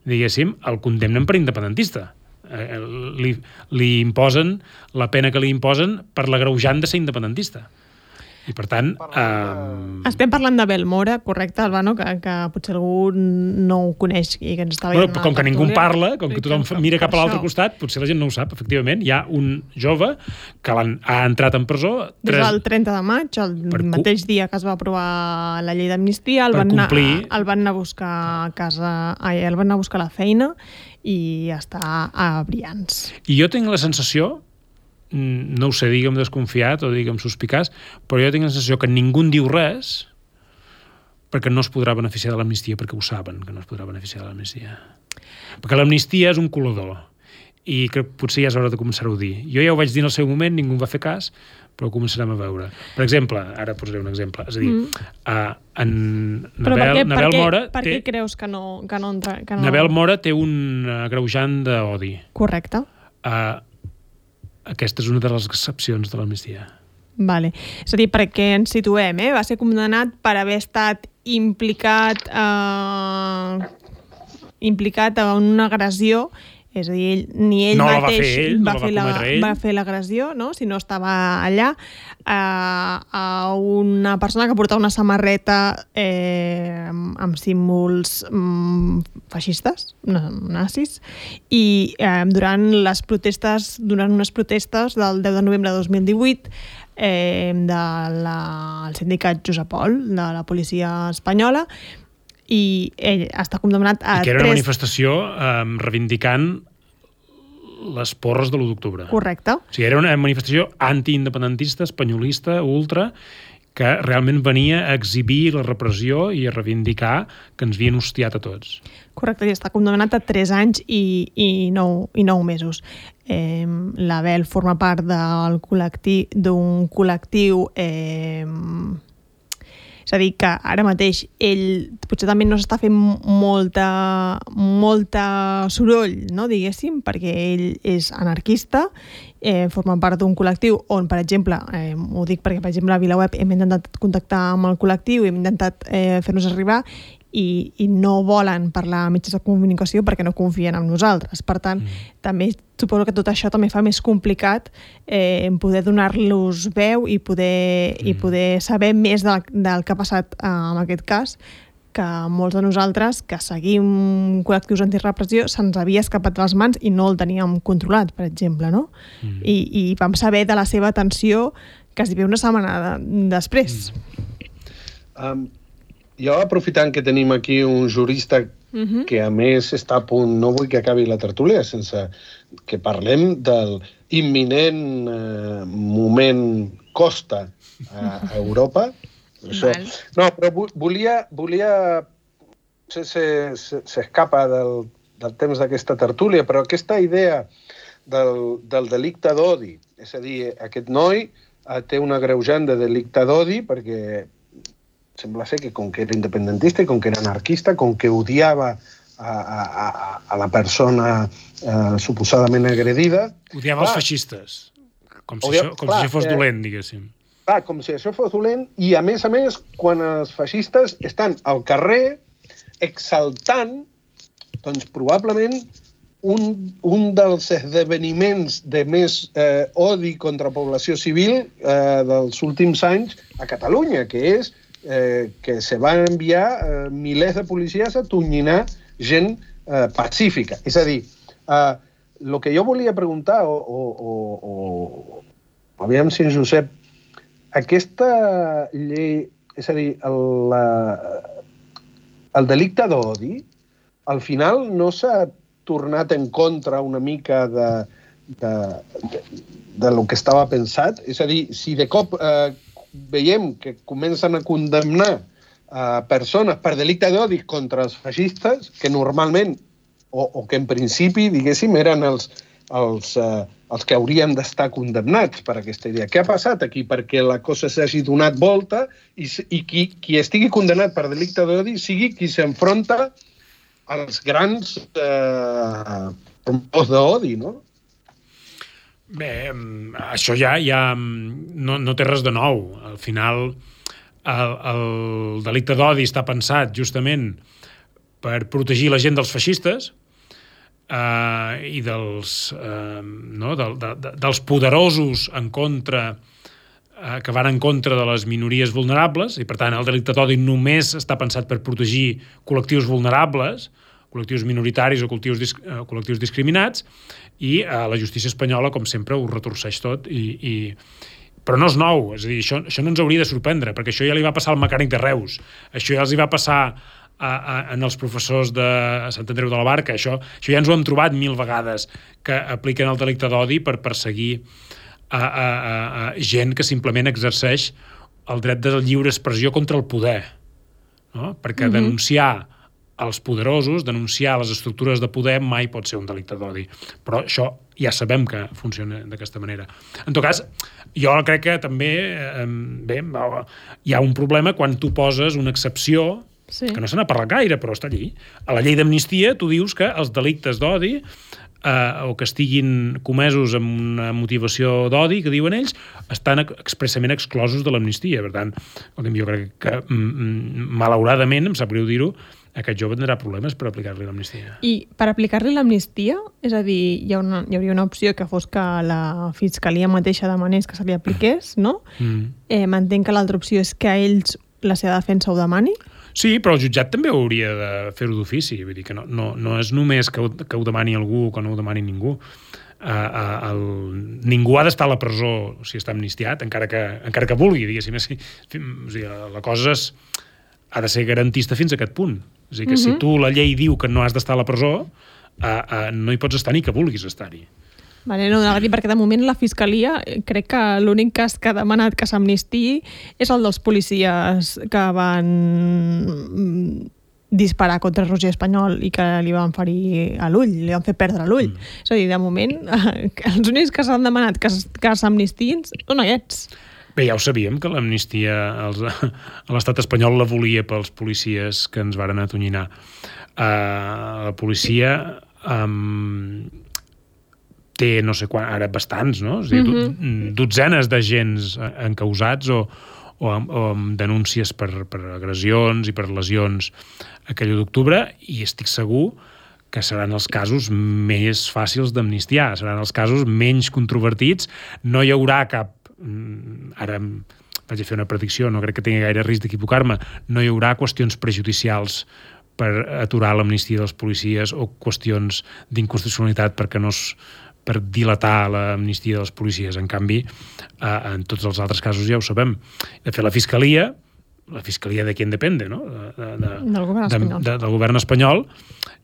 diguéssim, el condemnen per independentista. Li imposen la pena que li imposen per l'agreujant de ser independentista. I per tant... Estem parlant d'Abel Mora, correcte, Albano, que potser algú no ho coneix i que ens està veient. Com que ningú en parla, com que tothom mira cap a l'altre costat, potser la gent no ho sap, efectivament. Hi ha un jove que ha entrat en presó... Des del 30 de maig, el mateix dia que es va aprovar la llei d'amnistia, el van anar a buscar a casa... El van anar a buscar a la feina i està a Brians. I jo tinc la sensació, no ho sé, digue'm desconfiat o digue'm suspicaç, però jo tinc la sensació que ningú en diu res perquè no es podrà beneficiar de l'amnistia, perquè ho saben que no es podrà beneficiar de l'amnistia. Perquè l'amnistia és un colador i que potser ja és hora de començar-ho a dir. Jo ja ho vaig dir en el seu moment, ningú en va fer cas, però ho començarem a veure. Per exemple, ara posaré un exemple, és a dir, Nabel Mora... Per què creus que no entra? Nabel Mora té un agreujant d'odi. Correcte. Aquesta és una de les excepcions de l'amnistia. Vale. És a dir, perquè ens situem, va ser condemnat per haver estat implicat en una agressió, és a dir, ni ell mateix va fer l'agressió, no? Si no estava allà, a una persona que portava una samarreta amb símbols feixistes, nazis, i durant unes protestes del 10 de novembre de 2018 del sindicat Josep Pol, de la policia espanyola, i ell està condemnat a... I que era una manifestació reivindicant les porres de l'1 d'octubre. Correcte. O sigui, era una manifestació antiindependentista, espanyolista, ultra, que realment venia a exhibir la repressió i a reivindicar que ens havien hostiat a tots. Correcte, i està condemnat a 3 anys i 9 mesos. L'Abel forma part d'un col·lectiu és a dir, que ara mateix ell potser també no s'està fent molta soroll, no, diguéssim, perquè ell és anarquista formen part d'un col·lectiu on, per exemple, ho dic perquè, per exemple, a VilaWeb hem intentat contactar amb el col·lectiu, hem intentat fer-nos arribar i no volen parlar a mitjans de comunicació perquè no confien en nosaltres. Per tant, també suposo que tot això també fa més complicat poder donar-los veu i poder saber més del que ha passat en aquest cas, que molts de nosaltres que seguim col·lectius antirepressió se'ns havia escapat de les mans i no el teníem controlat, per exemple, no? I vam saber de la seva atenció quasi una setmana després. Jo, aprofitant que tenim aquí un jurista que a més està a punt, no vull que acabi la tertúlia sense que parlem del imminent moment Costa a Europa. Això. No, però volia s'escapa del temps d'aquesta tertúlia, però aquesta idea del delicte d'odi, és a dir, aquest noi té un agreujant de delicte d'odi perquè sembla ser que com que era independentista i com que era anarquista, com que odiava a la persona suposadament agredida... Odiava els feixistes, com si això fos dolent, diguéssim. Clar, com si això fos dolent, i a més, quan els feixistes estan al carrer exaltant, doncs probablement un dels esdeveniments de més odi contra població civil dels últims anys a Catalunya, que és que se van enviar milers de policies a tonyinar gent pacífica. És a dir, el que jo volia preguntar, o aviam si en Josep, aquesta llei, és a dir, el delicte d'odi, al final no s'ha tornat en contra una mica de lo que estava pensat? És a dir, si de cop veiem que comencen a condemnar persones per delicte d'odi contra els feixistes, que normalment, o que en principi, diguéssim, eren els que haurien d'estar condemnats per aquesta idea. Què ha passat aquí? Perquè la cosa s'hagi donat volta i qui estigui condemnat per delicte d'odi sigui qui s'enfronta als grans promotors d'odi, no? Bé, això ja no té res de nou. Al final, el delicte d'odi està pensat justament per protegir la gent dels feixistes i dels poderosos en contra, que van en contra de les minories vulnerables, i per tant el delicte d'odi només està pensat per protegir col·lectius vulnerables, col·lectius minoritaris o col·lectius discriminats, i la justícia espanyola, com sempre, ho retorceix tot. Però no és nou, és a dir, això no ens hauria de sorprendre, perquè això ja li va passar al mecànic de Reus, això ja els hi va passar en els professors de Sant Andreu de la Barca, això ja ens ho hem trobat 1000 vegades, que apliquen el delicte d'odi per perseguir gent que simplement exerceix el dret de lliure expressió contra el poder, no? Perquè denunciar els poderosos, denunciar les estructures de poder mai pot ser un delicte d'odi. Però això ja sabem que funciona d'aquesta manera. En tot cas, jo crec que també hi ha un problema quan tu poses una excepció, que no se n'ha parlat gaire, però està allí. A la llei d'amnistia tu dius que els delictes d'odi o que estiguin comesos amb una motivació d'odi, que diuen ells, estan expressament exclosos de l'amnistia. Per tant, jo crec que malauradament, em sap greu dir-ho, aquest jove tindrà problemes per aplicar-li l'amnistia. I per aplicar-li l'amnistia, és a dir, hi hauria una opció que fos que la Fiscalia mateixa demanés que se li apliqués, no? M'entenc que l'altra opció és que a ells la seva defensa ho demani? Sí, però el jutjat també hauria de fer-ho d'ofici. Vull dir que no és només que ho demani algú o que no ho demani ningú. Ningú ha d'estar a la presó si està amnistiat, encara que vulgui, diguéssim. O sigui, la cosa ha de ser garantista fins a aquest punt. És a dir, que si tu la llei diu que no has d'estar a la presó, no hi pots estar ni que vulguis estar-hi. Vale, no, perquè de moment la Fiscalia, crec que l'únic cas que ha demanat que s'amnistiï és el dels policies que van disparar contra Roger Espanyol i que li van ferir a l'ull, li van fer perdre l'ull. És a dir, de moment, els únics que s'han demanat que s'amnistiïn són aquests. Bé, ja ho sabíem, que l'amnistia a l'estat espanyol la volia pels policies que ens varen atonyinar. La policia té no sé quan, ara bastants, no? És a dir, dotzenes d'agents encausats o amb denúncies per agressions i per lesions aquell 1 d'octubre, i estic segur que seran els casos més fàcils d'amnistiar, seran els casos menys controvertits, no hi haurà cap... Ara vaig a fer una predicció, no crec que tingui gaire risc d'equivocar-me, no hi haurà qüestions prejudicials per aturar l'amnistia dels policies o qüestions d'inconstitucionalitat per dilatar l'amnistia dels policies. En canvi, en tots els altres casos ja ho sabem. De fet, la Fiscalia de qui en depende, no? Del govern espanyol,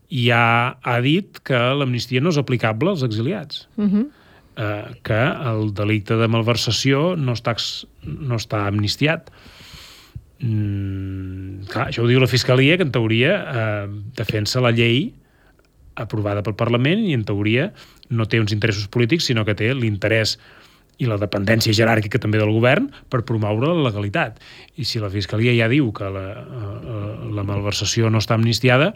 ja ha dit que l'amnistia no és aplicable als exiliats. Que el delicte de malversació no està amnistiat. Clar, això ho diu la Fiscalia, que en teoria defensa la llei aprovada pel Parlament i en teoria no té uns interessos polítics, sinó que té l'interès i la dependència jeràrquica també del govern per promoure la legalitat. I si la Fiscalia ja diu que la malversació no està amnistiada,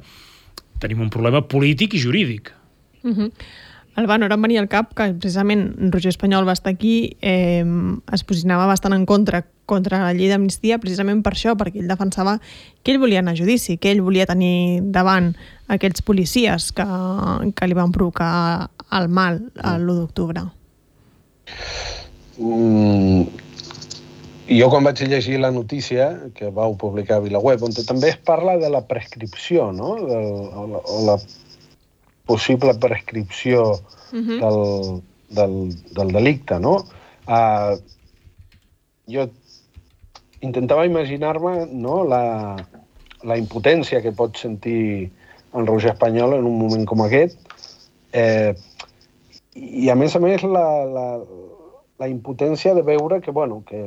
tenim un problema polític i jurídic. Albano, ara em venia al cap que precisament Roger Espanyol va estar aquí, es posicionava bastant en contra la llei d'amnistia precisament per això, perquè ell defensava que ell volia anar a judici, que ell volia tenir davant aquells policies que li van provocar el mal l'1 d'octubre. Jo quan vaig llegir la notícia que vau publicar a VilaWeb, on també es parla de la prescripció, no? O la possible prescripció del delicte, no? Jo intentava imaginar-me, no, la impotència que pot sentir en Roger Espanyol en un moment com aquest, i a més la impotència de veure que, bueno, que...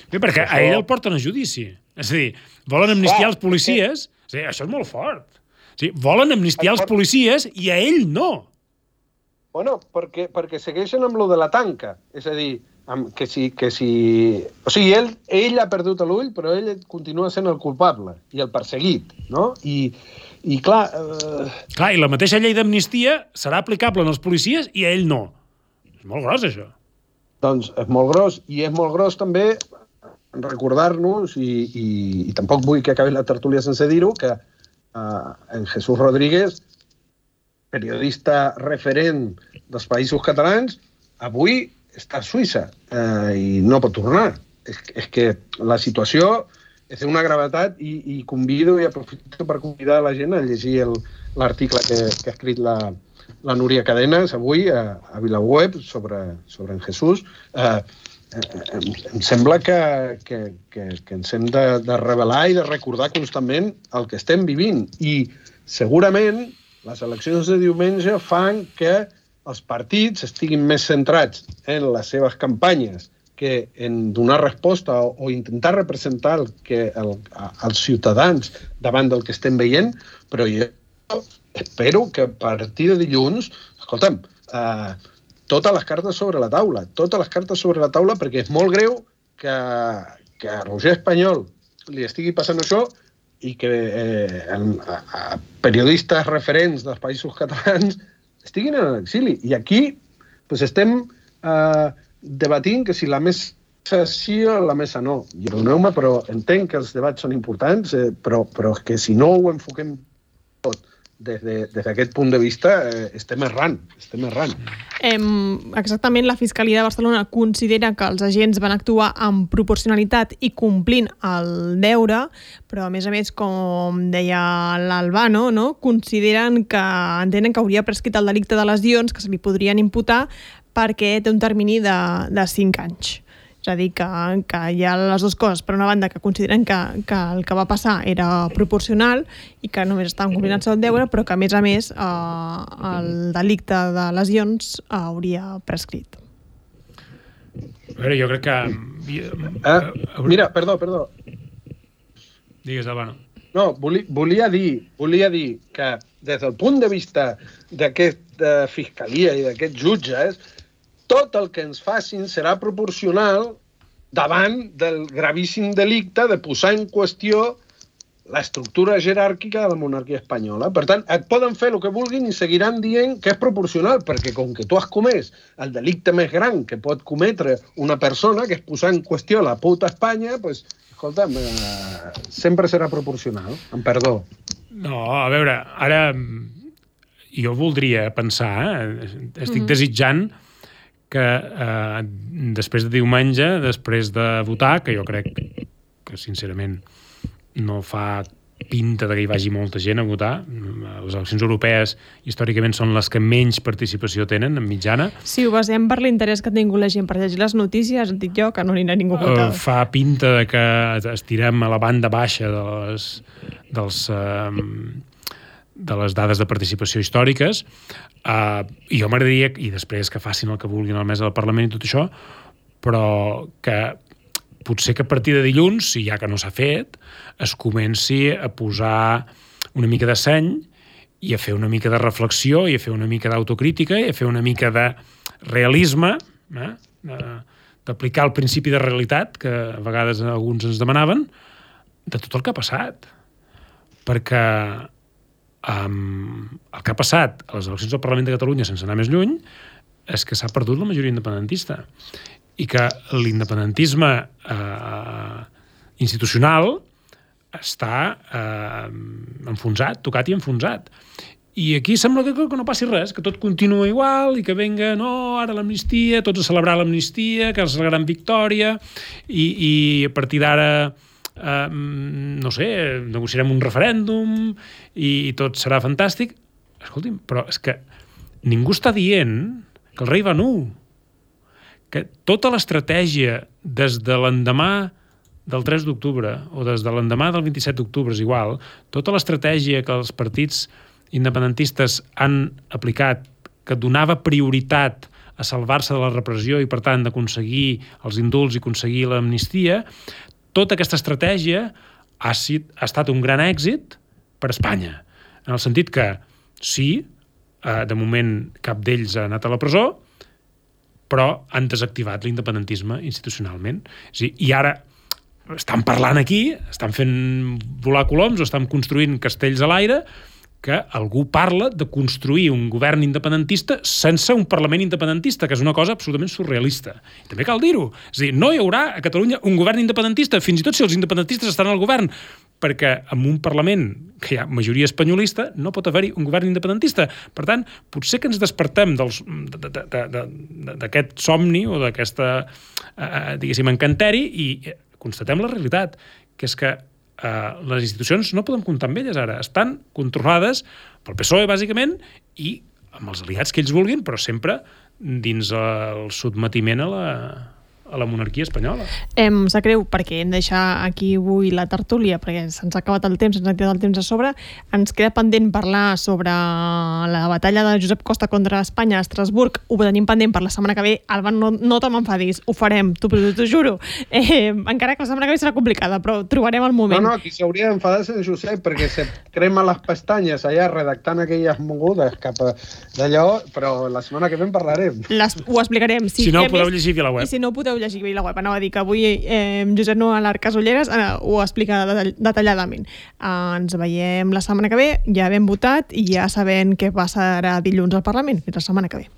Bé, perquè a ell el porten a judici. És a dir, volen amnistiar els policies. Sí, això és molt fort. Sí, volen amnistiar els policies i a ell no. Bueno, perquè segueixen amb lo de la tanca. És a dir, que si... O sigui, ell ha perdut l'ull, però ell continua sent el culpable i el perseguit, no? I clar... Clar, i la mateixa llei d'amnistia serà aplicable als policies i a ell no. És molt gros, això. Doncs és molt gros, i és molt gros també recordar-nos, i tampoc vull que acabi la tertúlia sense dir-ho, que en Jesús Rodríguez, periodista referent dels Països Catalans, avui està a Suïssa i no pot tornar. És que la situació és una gravetat i convido i aprofito per convidar la gent a llegir l'article que ha escrit la Núria Cadenas avui a VilaWeb sobre en Jesús. Em sembla que ens hem de revelar i de recordar constantment el que estem vivint. I segurament les eleccions de diumenge fan que els partits estiguin més centrats en les seves campanyes que en donar resposta o intentar representar els ciutadans davant del que estem veient, però jo espero que a partir de dilluns, escolta'm, totes les cartes sobre la taula, perquè és molt greu que a Roger Espanyol li estigui passant això i que periodistes referents dels Països Catalans estiguin en l'exili. I aquí estem debatint que si la mesa sí o la mesa no. I perdoneu-me, però entenc que els debats són importants, però és que si no ho enfoquem tot des d'aquest punt de vista, estem errant. Exactament, la Fiscalia de Barcelona considera que els agents van actuar amb proporcionalitat i complint el deure, però a més, com deia l'Albano, no? Entenen que hauria prescrit el delicte de lesions que se li podrien imputar perquè té un termini de 5 anys. És a dir, que hi ha les dues coses. Per una banda, que consideren que el que va passar era proporcional i que només estaven complint el seu deure, però que, a més, el delicte de lesions hauria prescrit. A veure, jo crec que... Mira, perdó. Digues, Albano. No, volia dir que des del punt de vista d'aquesta fiscalia i d'aquests jutges, tot el que ens facin serà proporcional davant del gravíssim delicte de posar en qüestió l'estructura jeràrquica de la monarquia espanyola. Per tant, et poden fer el que vulguin i seguiran dient que és proporcional, perquè com que tu has comès el delicte més gran que pot cometre una persona, que és posar en qüestió la puta Espanya, doncs, escolta'm, sempre serà proporcional, amb perdó. No, a veure, ara jo voldria pensar, estic desitjant que després de diumenge, després de votar, que jo crec que sincerament no fa pinta que hi vagi molta gent a votar, les eleccions europees històricament són les que menys participació tenen en mitjana. Si ho basem per l'interès que ha tingut la gent per llegir les notícies, dic jo que no anirà ningú a votar. Fa pinta de que estirem a la banda baixa de les dades de participació històriques, i jo m'agradaria, i després que facin el que vulguin a la mesa del Parlament i tot això, però que potser que a partir de dilluns, si ja que no s'ha fet, es comenci a posar una mica de seny i a fer una mica de reflexió i a fer una mica d'autocrítica i a fer una mica de realisme, d'aplicar el principi de realitat que a vegades alguns ens demanaven, de tot el que ha passat. Perquè el que ha passat a les eleccions del Parlament de Catalunya, sense anar més lluny, és que s'ha perdut la majoria independentista i que l'independentisme institucional està enfonsat, tocat i enfonsat. I aquí sembla que no passi res, que tot continua igual i que venga, no, ara l'amnistia, tots a celebrar l'amnistia, que és la gran victòria, i a partir d'ara no sé, negociarem un referèndum i tot serà fantàstic. Escolti'm, però és que ningú està dient que el rei va nu, que tota l'estratègia des de l'endemà del 3 d'octubre o des de l'endemà del 27 d'octubre és igual, tota l'estratègia que els partits independentistes han aplicat, que donava prioritat a salvar-se de la repressió i, per tant, d'aconseguir els indults i aconseguir l'amnistia, tota aquesta estratègia ha estat un gran èxit per Espanya. En el sentit que, sí, de moment cap d'ells ha anat a la presó, però han desactivat l'independentisme institucionalment. I ara estan parlant aquí, estan fent volar coloms o estan construint castells a l'aire, que algú parla de construir un govern independentista sense un Parlament independentista, que és una cosa absolutament surrealista. I també cal dir-ho. És a dir, no hi haurà a Catalunya un govern independentista, fins i tot si els independentistes estan al govern, perquè en un Parlament que hi ha majoria espanyolista no pot haver-hi un govern independentista. Per tant, potser que ens despertem d'aquest somni o d'aquesta, diguéssim, encanteri i constatem la realitat, que és que les institucions no podem comptar amb elles ara. Estan controlades pel PSOE, bàsicament, i amb els aliats que ells vulguin, però sempre dins el sotmetiment a la monarquia espanyola. Em sap greu perquè hem de deixar aquí avui la tertúlia, perquè se'ns ha acabat el temps, se'ns ha tirat el temps a sobre. Ens queda pendent parlar sobre la batalla de Josep Costa contra Espanya a Estrasburg. Ho tenim pendent per la setmana que ve. Alba, no te m'enfadis, ho farem, t'ho juro. Encara que la setmana que ve serà complicada, però trobarem el moment. No, qui s'hauria d'enfadar és en Josep, perquè se crema les pestanyes allà redactant aquelles mogudes cap d'allò, però la setmana que ve en parlarem. Ho explicarem. Si no, ho podeu llegir via la web. I si no, podeu llegir via la web. Anava a dir que avui Josep Noel Casolleres ho explica detalladament. Ens veiem la setmana que ve, ja hem votat i ja sabem què passarà dilluns al Parlament. Fins la setmana que ve.